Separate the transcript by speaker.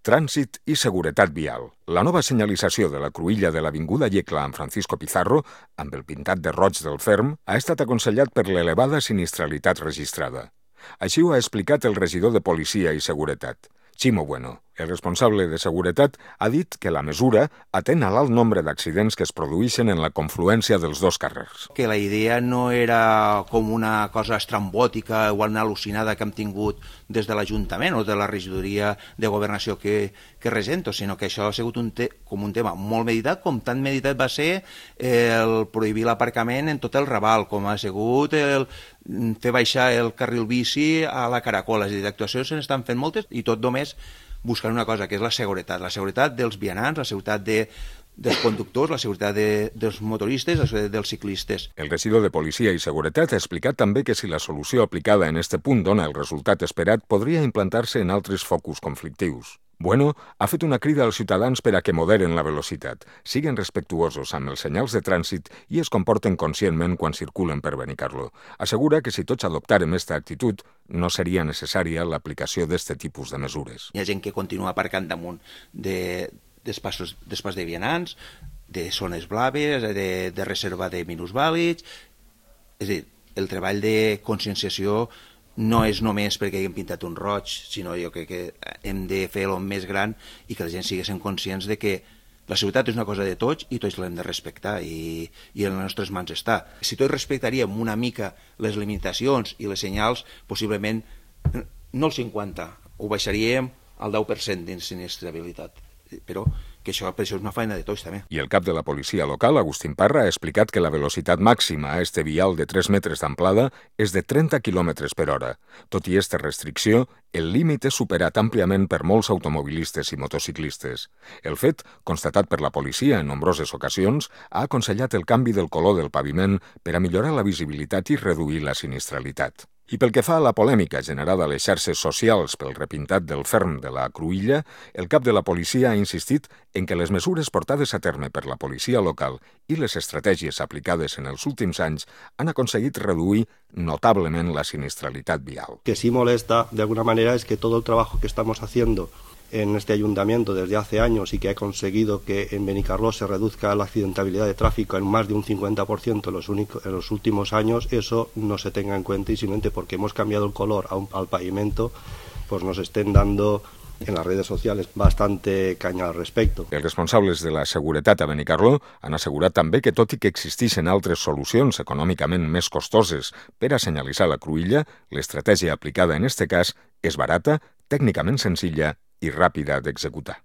Speaker 1: Trànsit i seguretat vial. La nova senyalització de la cruïlla de l'Avinguda Llecla amb Francisco Pizarro, amb el pintat de roig del ferm, ha estat aconsellat per l'elevada sinistralitat registrada. Així ho ha explicat el regidor de Policia i Seguretat, Chimo Bueno. El responsable de seguretat ha dit que la mesura atén a l'alt nombre d'accidents que es produeixen en la confluència dels dos carrers.
Speaker 2: Que la idea no era com una cosa estrambòtica o una al·lucinada que hem tingut des de l'Ajuntament o de la regidoria de governació que regento, sinó que això ha sigut com un tema molt meditat, com tan meditat va ser el prohibir l'aparcament en tot el Raval, com ha sigut el fer baixar el carril bici a la Caracola. És a dir, d'actuacions se n'estan fent moltes i tot només buscant una cosa, que és la seguretat dels vianants, la seguretat dels conductors, la seguretat dels motoristes, la seguretat dels ciclistes.
Speaker 1: El regidor de Policia i Seguretat ha explicat també que si la solució aplicada en este punt dona el resultat esperat, podria implantar-se en altres focus conflictius. Bueno ha fet una crida als ciutadans per a que moderen la velocitat, siguen respectuosos amb els senyals de trànsit i es comporten conscientment quan circulen per Benicarló. Assegura que si tots adoptàrem aquesta actitud, no seria necessària l'aplicació d'aquest tipus de mesures.
Speaker 2: Hi ha gent que continua aparcant damunt d'espais de vianants, de zones blaves, de reserva de minusvàlids. És a dir, el treball de conscienciació no és només perquè haguem pintat un roig, sinó jo crec que hem de fer-lo més gran i que la gent siguin conscients de que la seguretat és una cosa de tots i tots l'hem de respectar i en les nostres mans està. Si tots respectaríem una mica les limitacions i les senyals, possiblement no el 50%, ho baixaríem al 10% d'insinistrabilitat. Però que per això és una feina de tots també.
Speaker 1: I el cap de la policia local, Agustín Parra, ha explicat que la velocitat màxima a este vial de 3 metres d'amplada és de 30 km per hora. Tot i esta restricció, el límit és superat àmpliament per molts automobilistes i motociclistes. El fet, constatat per la policia en nombroses ocasions, ha aconsellat el canvi del color del paviment per a millorar la visibilitat i reduir la sinistralitat. I pel que fa a la polèmica generada a les xarxes socials pel repintat del ferm de la cruïlla, el cap de la policia ha insistit en que les mesures portades a terme per la policia local i les estratègies aplicades en els últims anys han aconseguit reduir notablement la sinistralitat vial.
Speaker 3: Que sí molesta, de alguna manera, es que todo el trabajo que estamos haciendo en este ayuntamiento desde hace años y que ha conseguido que en Benicarló se reduzca la accidentabilidad de tráfico en más de un 50% en los últimos años, eso no se tenga en cuenta y simplemente porque hemos cambiado el color al pavimento, pues nos estén dando en las redes sociales bastante caña al respecte.
Speaker 1: Els responsables de la seguretat a Benicarló han assegurat també que tot i que existeixen altres solucions econòmicament més costoses per a senyalitzar la cruïlla, l'estratègia aplicada en este cas és barata, tècnicament senzilla i ràpida d'executar.